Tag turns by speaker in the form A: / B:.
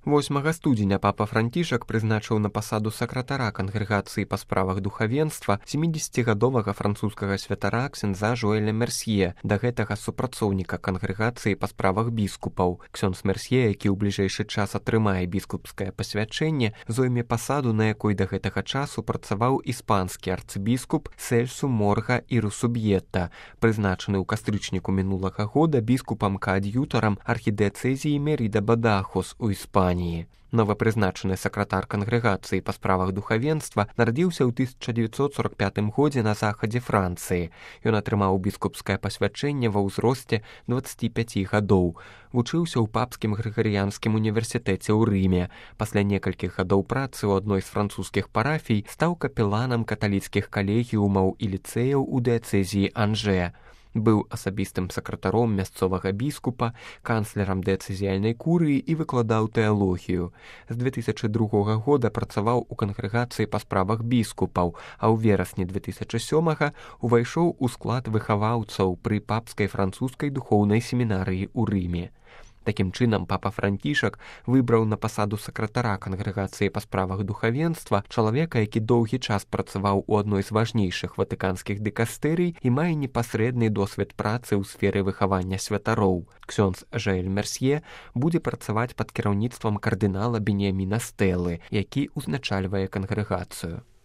A: 8 студзеня папа Францішак прызначыў на пасаду сакратара кангрэгацыі па справах духавенства 70гадовага французскага святара ксяндза Жоэля Мерсье, да гэтага супрацоўніка кангрэгацыі па справах біскупаў. Ксёндз Мерсье, які ў бліжэйшы час атрымае біскупскае пасвячэнне, зойме пасаду, на якой да гэтага часу працаваў іспанскі арцыбіскуп Сельсу Морга і Русубьета, прызначаны ў кастрычніку мінулага года біскупам-каад'ютарам архідыяцэзіі Меріда Бадахус у Іспаніі. Новапрызначаны сакратар кангрэгацыі па справах духавенства нарадзіўся ў 1945 годзе на захадзе Францыі. Ён атрымаў біскупскае пасвячэнне ва ўзросце 25 гадоў. Вучыўся ў папскім грыгарыянскім універсітэце ў Рыме. Пасля некалькіх гадоў працы ў адной з французскіх парафій стаў капеланам каталіцкіх калегіумаў і ліцэяў у дыяцэзіі Анже. Быў асабістым сакратаром мясцовага біскупа, канцлерам дыяцэзіяльнай курыі і выкладаў тэалогію. З 2002 года працаваў у кангрэгацыі па справах біскупаў, а ў верасні 2007 увайшоў у склад выхаваўцаў пры папскай французскай духоўнай семінарыі ў Рыме. Такім чынам, папа Францішак выбраў на пасаду сакратара кангрэгацыі па справах духавенства чалавека, які доўгі час працаваў у адной з важнейшых ватыканскіх дыкастэрый і мае непасрэдны досвед працы ў сферы выхавання святароў. Ксёндз Жоэль Мерсье будзе працаваць пад кіраўніцтвам кардынала Беніяміна Стэлы, які ўзначальвае кангрэгацыю.